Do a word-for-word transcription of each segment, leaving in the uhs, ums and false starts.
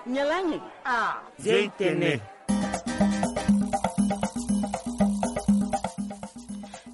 Nyalangi. Ah. Zia itene.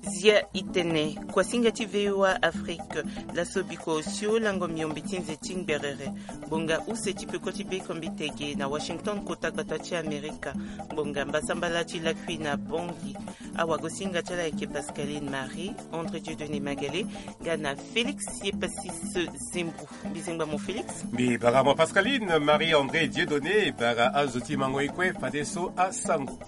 Zia itene. Kuasinga ti V O A Afrique. Laso bikua osio lango miombe ti nze ti ngberere. Ngbonga use ti peko ti bekombi tege na Washington, kota gbata ti Amerika. Ngbonga mbasambala ti lakui na Bangui. Awagosinga ti ala ayeke Pascaline Marie, André Dieudonné Magalé, nga na Félix Yepasis Zembou. Mbi zengba mo Félix. Mbi bara mo Pascaline. Marie André Dieudonné, bara azo ti mango e kue fadeso asango.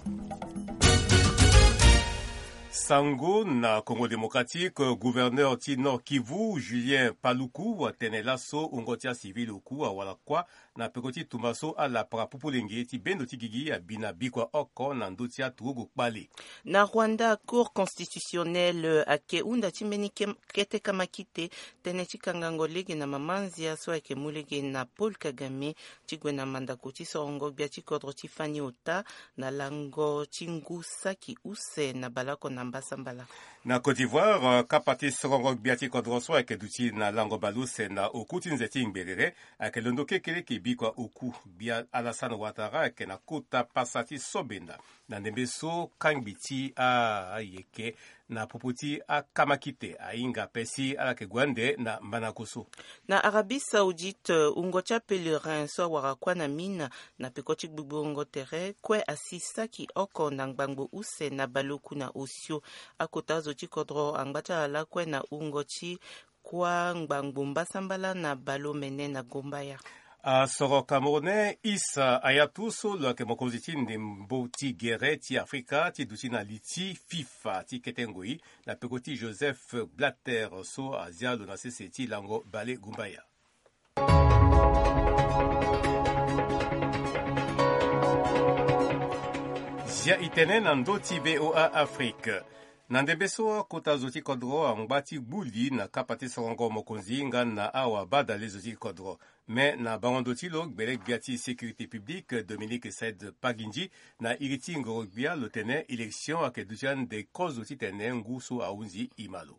Sango na Congo Démocratique, gouverneur ti Nord Kivu, Julien Paluku, atene laso wungo ti acivil oku awara kuâ na peko ti tumba so alapara pupulenge ti bendo ti gigi abi na bikua oko na ndö ti aturugu kpale. Na Rwanda, Cour constitutionnelle ayeke hunda ti mbeni ke-, kete kamakite, tënë ti kangango lege na mama nzia so ayeke mu lege na Paul Kagame ti gue na mandako ti sorongo gbia ti kodro ti fani ota na lango ti ngu saki use na baleoko na mbasambala. Na Côte d'Ivoire, euh, kapa ti sorongo gbia ti kodro so ayeke duti na lango baleuse na oku ti nze ti ngberere ayeke londo kekereke bikua oku. Gbia Alassane Ouattara ayeke na kota pasa ti sobenda. Na ndembe so kangbi ti a, ayeke na popo ti akamakite ahinga ape si ala yeke gue ande na manako so. Na Arabie Saoudite, wungo ti apèlerin so awara kuâ na Mina na peko ti gbugbu wungo tere kue asi saki oko na ngbangbo use na baleoku na osio. Akota azo ti kodro angba ti ala lakue na wungo ti kuâ ngbangbo mbasambala na baleomene na Gombaya. Asoro Camerounais Issa Hayatou so lo yeke mokonzi ti ndembo ti gere ti Afrika ti duti na li ti FIFA ti kete ngoi na peko ti Joseph Blatter so azia lo na sese ti lango bale Gombaya. Zia itene na ndö ti V O A Afrique. Na ndembe so akota zo ti kodro angba ti gbu li na kapa ti sorongo mokonzi nga na awa badale zo ti kodro. Me na bango ndo ti lo, gbele gbia ti sécurité publique Dominique Said Pagindji na iri ti ngoro-gbia lo tene élection ayeke duti ande kozo titene ngu so ahunzi e ma lo.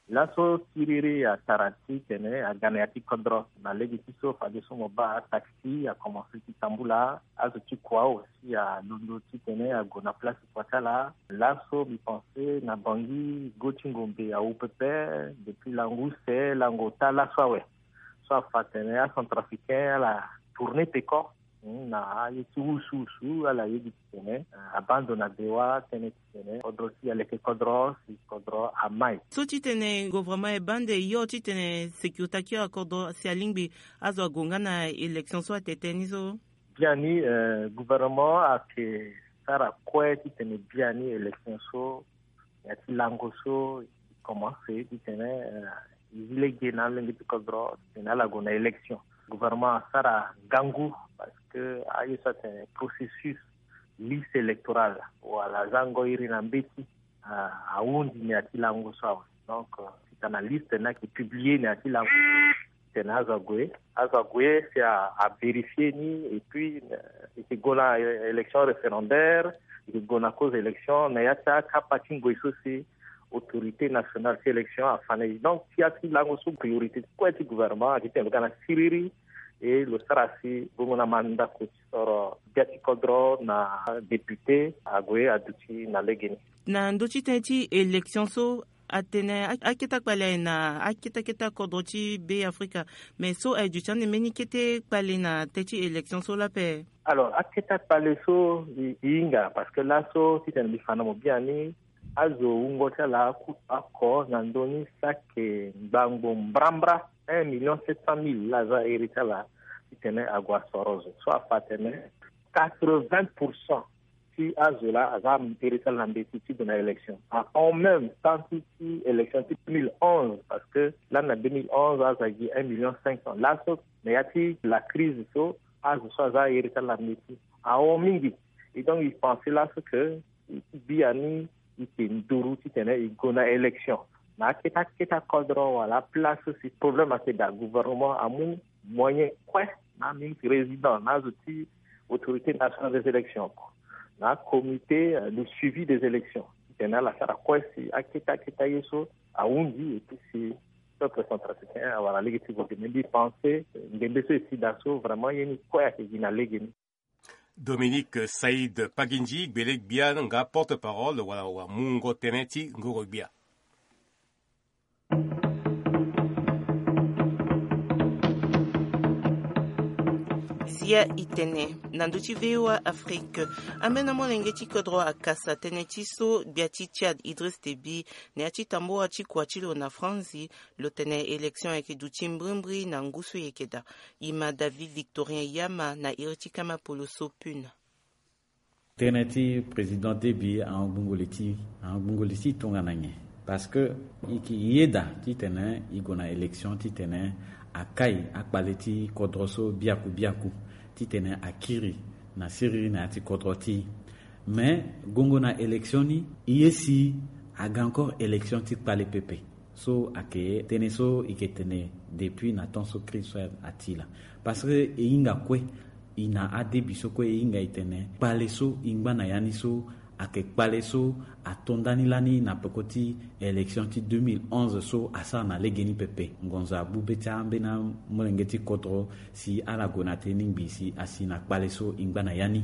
Laso siriri atara titene aga na ya ti kodro na lege ti so fadeso mo baa taxi akomanse ti tambula, azo ti kua aussi alondo titene ague na place ti kua ti ala. Laso mbi pense na Bangui go ti ngombe awu pepe depuis lango use lango ota laso awe. So afa atene acentrafricain ala tourner peko. Hmm, na aye ti wusuwusu ala yedi titene, eh, abandona bewa tënë titene kodro si aleke kodro si kodro amai. So titene gouvernement e baa nde yo titene sécurité aki akodro si alingbi azo ague nga na élection so atene ni so. Biani, eh, gouvernement ayeke sara kue titene biani élection so na ya ti lango so e commence titene, eh, e zi lege na alenge ti kodro titene ala gue na élection. Gouvernement asara ngangu parce que aye so atene processus liste électorale wala aza ngoi iri na mbeti, ah, ahunzi na ya ti lango so awe. Donc, euh, si tana liste ni ayeke publier na ya ti lango titene azo ague, azo ague si a, avérifier ni, et puis, euh, e yeke gue na, euh, élection référendaire, e yeke gue na cause élection na ya ti akapa ti ngoi so si autorité nationale ti élection afa na e. Donc ti ya ti lango so priorité kue ti gouvernement ayeke tene lo ga na siriri, e lo sara si bongo na mandako ti soro gbia ti kodro na député ague aduti na legeni. Na ndö ti tënë ti élection so, atene a, akete akpale aye na akete akete akodro ti Be Afrika. Mais so aye duti ande mbeni kete kpale na tënë ti élection so lape. Alors, akete akpale so e, e hinga, parce que laso titene mbi fa na mo biani, azo wungo ti ala aku oko na ndö ni saki ngbangbo mbrambra, un million sept cent mille la aza iri ti ala titene ague asoro zo. So afa atene quatre-vingts pour cent ti azo la aza iri ti ala na mbeti ti gue na élection. Ahon même temps ti, ti élection ti deux mille onze, parce que lani na deux mille onze azo agi un million cinq cent. Laso na ya ti la crise so azo so aza iri ti ala na mbeti ahon mingi. Et donc e pense laso que biani e yeke nduru titene e gue na élection. Na akete akete akodro wala place so si problème ayeke daa, gouvernement amu moyen kue na ministre président na azo ti autorité nationale des élections, na comité, euh, de suivi des élections titene ala sara kue si akete akete aye so ahunzi, et puis si peuple centrafricain awara lege ti gue. Mbi pense ngbengbe so e si daa so vraiment ye ni kue ayeke gi na lege ni. Dominique Saïd Pagindji, gbele gbia nga porte-parole wala wamungo tënë ti ngoro gbia. Zia i tene na ndö ti V O A Afrique. Ambeni molenge ti kodro akasa tënë ti so gbia ti Tchad Idriss Déby na ya ti tambula ti kua ti lo na Franzi, lo tene élection ayeke duti mbrimbri na ngu so e yeke daa. E ma David Victorien Yama na iri ti kama polo so Puna. Tënë ti président Déby ahon gbungo li ti, ahon gbungo li ti tongana nyen? Parce que i yeda titene i gue na élection titene akai akpale ti kodro so biaku biaku, titene akiri na siriri na ya ti kodro ti. Mais gongo na élection ni, i ye si aga encore élection ti kpale pepe. So ayeke tënë so i yeke tene depuis na temps so crise so ati laa. Parce que e hinga kue, i na adebi so kue e hinga e tene kpale so e ngba na ya ni so ayeke kpale so ato ndani lani na peko ti élection ti deux mille onze so asara na legeni pepe. Ngonzo abu be ti ambeni amolenge ti kodro si ala gue na tënë ni ngbii si asi na kpale so e ngba na ya ni.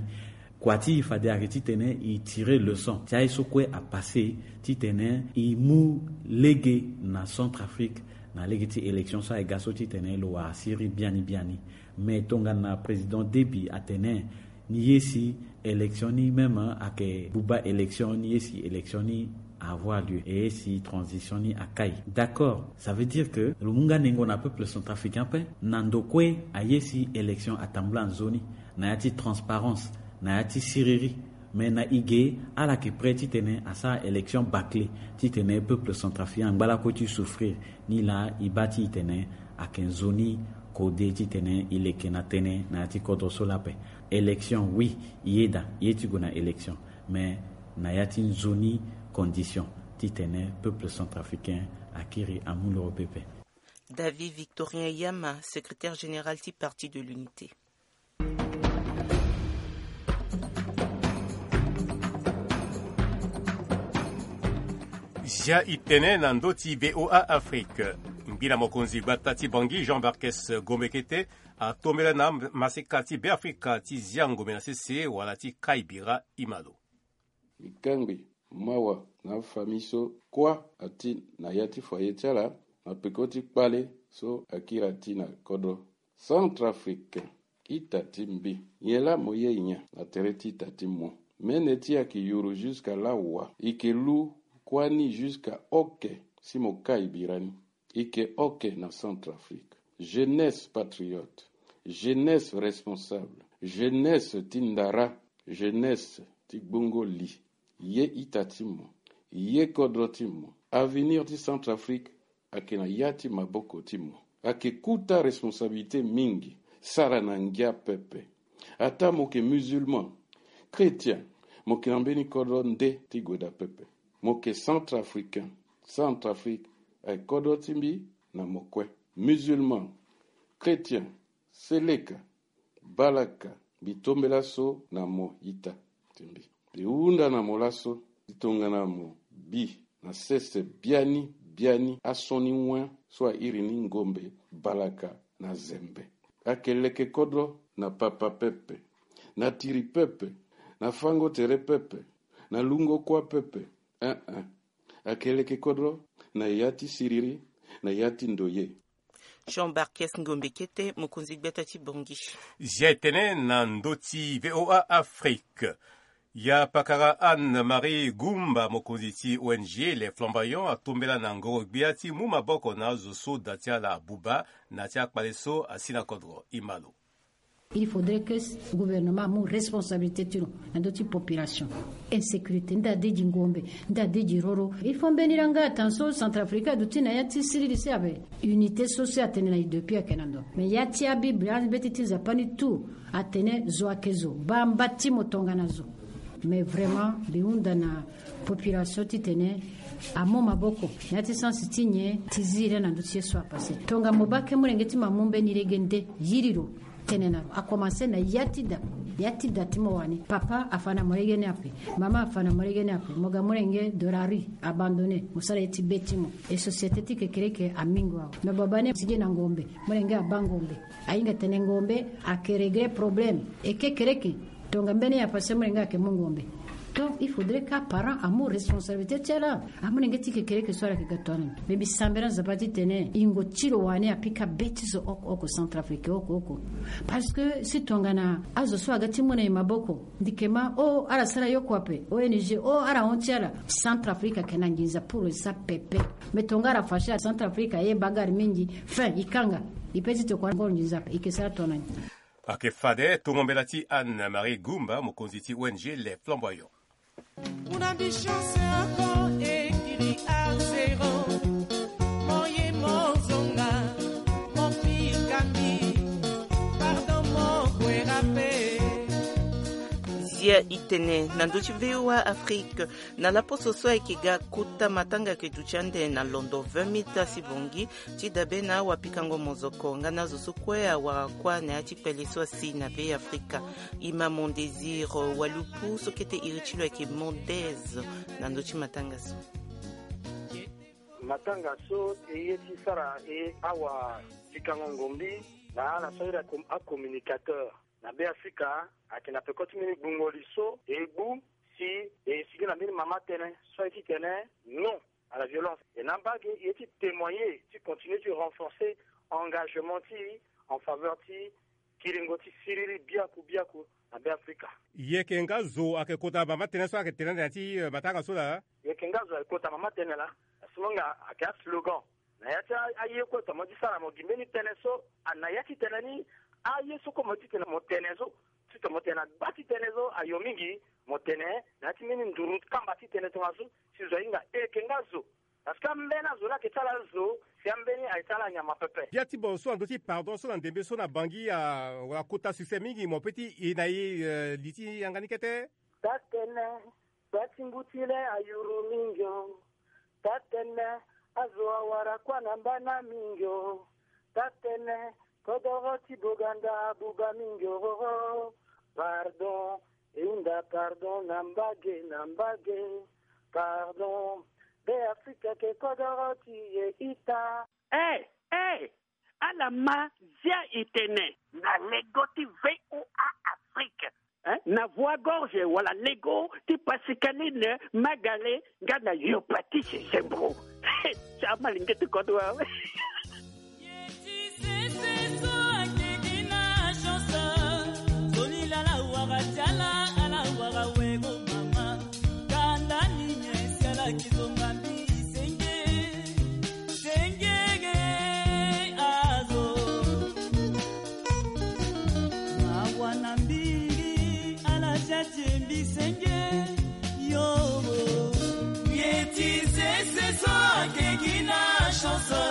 Kua ti e fade ayeke titene e tire leçon ti aye so kue apasse titene e mu lege na Centrafrique na lege ti élection so aye ga so titene lo wara siriri biani biani. Mais tongana président Déby atene ni ye si élection ni même ayeke buba élection, ni ye si élection ni avoir lieu, e ye si transition ni akai. D'accord, ça veut dire que lo mu nga nengo na peuple centrafricain ape na ndo kue aye si élection atambula nzoni na ya ti transparence, na ya ti siriri. Mais na e ge ala yeke prêt titene asara élection bâclée titene peuple centrafricain angba lakue ti souffrir. Ni laa e baa ti e tene ayeke nzoni kode titene e leke na tënë na ya ti kodro so laa ape. Élection oui, e yeda e ye ti gue na élection, mais na ya ti nzoni condition titene peuple centrafricain akiri amu loro pepe. David Victorien Yama, secrétaire général ti Parti de l'Unité. Zia i tene na ndö ti V O A Afrique. Ngbila mokonzi gbata ti Bangui, Jean Barkes Gombe Kete, atombela na maseka ti Beafrika ti zia ngombe na sese wala ti kai bira. Imalo. Mbi kangbi mawa na afamille so kuâ ati na ya ti foyer ti ala na peko ti kpale so akiri ati na kodro. Centrafricain, ita ti mbi, nyen laa mo ye nyen na tere ti ita ti mo? Mene ti e ayeke yuru jusqu'à la wa? E yeke lu kuâ ni jusqu'à oke si mo kai bira ni. E yeke oke na Centrafrique. Jeunesse patriote, jeunesse responsable, jeunesse ti ndara, jeunesse ti gbongo li. Ye ita ti mo, ye kodro ti mo. Avenir ti Centrafrique ayeke na ya ti maboko ti mo. Ayeke kota responsabilité mingi. Sara na ngia pepe. Ataa mo yeke musulman, chrétien, mo yeke na mbeni kodro nde ti gue daa pepe. Mo yeke centrafricain. Centrafrique ayeke kodro ti mbi na mo kue. Musulman, chrétien, seleka, balaka, mbi tombela so na mo ita ti mbi. Mbi hunda na mo laso ti tongana mo bi na sese biani biani asioni wen so airi ni ngombe, balaka na zembe. Ayeke leke kodro na papa pepe, na tiri pepe, na fango tere pepe, na lungo kuâ pepe. Eh-eh. Ayeke leke kodro na ya ti siriri, na ya ti ndoye. Jean Barkes Ngombe Kete, mokonzi gbata ti Bangui. Zia e tene na ndö ti V O A Afrique. Ya pakara Anne-Marie Goumba, mokonzi ti O N G Les Flamboyants, atombela na ngoro-gbia ti mu maboko na azo so da ti ala abuba na ya ti akpale so asi na kodro. Imalo. Il faudrait que gouvernement amu responsabilité ti lo na ndö ti population. Insécurité, nda de gi ngombe, nda de gi roro. Il faut mbeni langa atan so Centrafrique aduti na ya ti siriri si abe. Unité so si atene na e depuis ayeke na ndo. Mais ya ti abible, abeti ti nzapa ni tout atene zo ayeke zo, baa mba ti mo tongana zo. Mais vraiment mbi hunda na population titene amu maboko na ya ti sens ti nyen ti zi laa na ndö ti ye so apasse. Tongana mo baa ke molenge ti mo amu mbeni lege nde, yiri lo. Tene na lo akomanse na ya ti da. Ya ti da ti mo wani, papa afa na mo lege ni ape, mama afa na mo lege ni ape, mo ga molenge de la rue, abandonné, mo sara ye ti be ti mo. E société ti kekereke amingo awe. Me babani asigi na ngombe, molenge abaa ngombe. Ahinga tene ngombe ake régler problème. E kekereke, tonga mbeni ya pase molenge ake mu ngombe. Donc il faudrait ka parent amu responsabilité ti ala. Amolenge ti kekereke so ala ke ga tonga na ni. Me mbi sambela Nzapa titene ingo ti lo wani apika be ti zo oko oko, Centrafrique oko oko. Parce que si tongana azo so aga ti mu na e maboko, ndikema o ala sara yoko ape, O N G o ala hon ti ala, Centrafrique ake na nginza pour sa pepe. Me tonga ala fache, Centrafrique aye bagarre mingi. Fin, e kanga. E pe ti tokua ngoro nginza ape, e ke sara tonga na ni. Ake fade tongo mbela ti Anne Marie Goumba, mokonzi ti O N G Les Flamboyants. Una bichance encore ekiri arzero. Moye mozonga, mopikambi, pardon mokwera pe. Zia itene na ndö ti V O A Afrique. Na laposo so ayeke ga kota matanga ayeke duti ande na londo vingt mille tasi bongi, ti dabe na awapikango mozoko nga na azo so kue awara kuâ na ya ti kpele so asi na Be Afrika. Imam Mondésir Walupu so kete iri ti lo ayeke Mondez na ndö ti matanga so. Matanga so e ye ti sara e awapikango ngombi na ala so ahiri ako-, acommunicateur na Be Afrika ayeke na peko ti mbeni gbungo li so e gbu si e sigi na mbeni mama tënë so aye titene non à la violence. E na mbage e ye ti témoigner ti continuer ti renforcer engagement ti en faveur ti kiringo ti siriri biaku biaku na Be Afrika. Yeke nga zo ayeke kota mama tënë so ayeke tene ande na ya ti, eh, matanga so laa? Yeke nga zo ayeke kota mama tënë laa. Asi mo nga ayeke aslogan. Na ya ti a-, aye kue tongana mo ye ti sara mo gi mbeni tënë so, a, na ya ti tënë ni, aye so kue mo ye ti tene mo tene so, ti tongana mo tene na gba ti tënë so, ayo mingi mo tene na ya ti mbeni nduru kamba ti tënë tongaso, si zo ahinga e yeke nga zo. Parce que ambeni azo laa ayeke ti ala zo, si ambeni ayeke ti ala nyama pepe. Bia ti bo so na ndö ti pardon so na ndembe so na Bangui, a, wala kota succès mingi, mo pe ti e na e, eh, li ti yanga ni kete. Tatene, gba ti mbu ti le ayuru mingi o. Tatene, azo awara kuâ na mbana mingi o. Tatene, kodoro ti boganda abuba mingi o. Pardon, e hunda pardon na mbage, na mbage. Pardon, Be Afrika ke kodoro ti e ita. Eh, eh, ala ma zia e tene. Na lego ti V O A Afrique. Eh? Na voie gorge wala lego ti Pascaline Magale nga na Yopatise Sembro. Ti amalenge ti kodro awe. Ye ti sese so akeke na chance. Zoni lala wara ti ala, ala wara wego mama. Kanda ni nyesi ala kizonga mbi senge. Sengege azo. Mawa na mbingi, ala tia ti mbi senge. Yo. Ye ti sese so akeke na chance.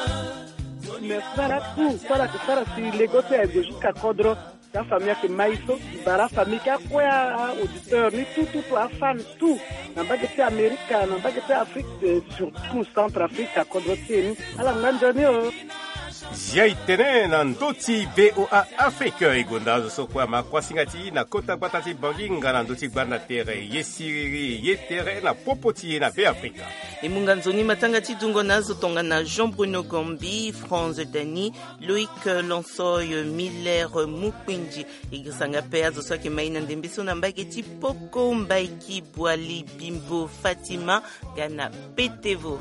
Mais sara tout, sara ti sara si lego so aye go jusqu'à kodro. Ti afamille ayeke mai so, e bara afamille ti akue a-auditeur ni tout, tout, tout, afan tout, na mbage ti Amerika, na mbage ti Afrique, eh, surtout Centrafrique, akodro ti e ni. Ala ngba nzoni o. Zia e tene na ndö ti V O A Afrique, e gonda azo so kue ama kuasinga ti e na kota gbata ti Bangui nga na ndö ti gbanda tere, ye siriri, ye tere na popo ti e na Be Afrika. E mu nga nzoni matanga ti dungo na azo tongana Jean Bruno Gombi, Franz Dany, Loïc Lonsoy, Miller Mukpindji. E girisa nga pe azo so ayeke mai na ndembe so na mbage ti Poko, Mbaiki, Boali, Bimbo, Fatima, nga na Petevo.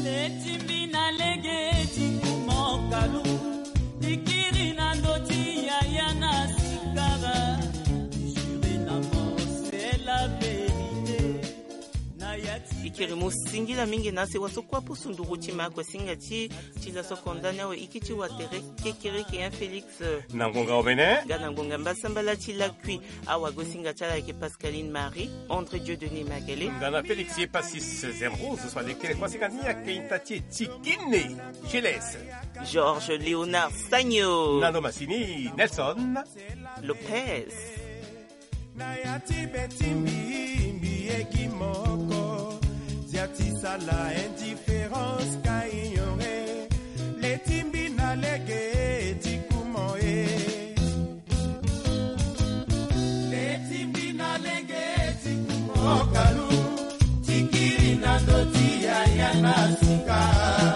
Leti mbi na lege ti kuma okalu, ti kiri na ndö ti yaya na sikara, ti jure na mort c'est la vérité. Na ya ti Ikiri mu singila mingi na se waso kua pusu nduru ti ma kue singa ti ti laso konda ni awe iki ti watere kekereke ya Félix. Na ngonga omene nga na ngonga mbasambala ti lakui. Awa go singa ti ala ayeke Pascaline Marie, André Dieu Denis Makele, nga na Félix ye Passis Zemrose so alekere kua singa ni ayeke ita ti e ti Guinée. Gilles, Georges Léonard Sagno, na lo masini Nelson Lopez. Na ya ti betimbi mbi ye gi moko, zia ti sala indifférence ka ignorer. Letimbi na lege ti kumo e. Letimbi na lege ti kumo kalu, ti kiri na ndo ti yaya na sika.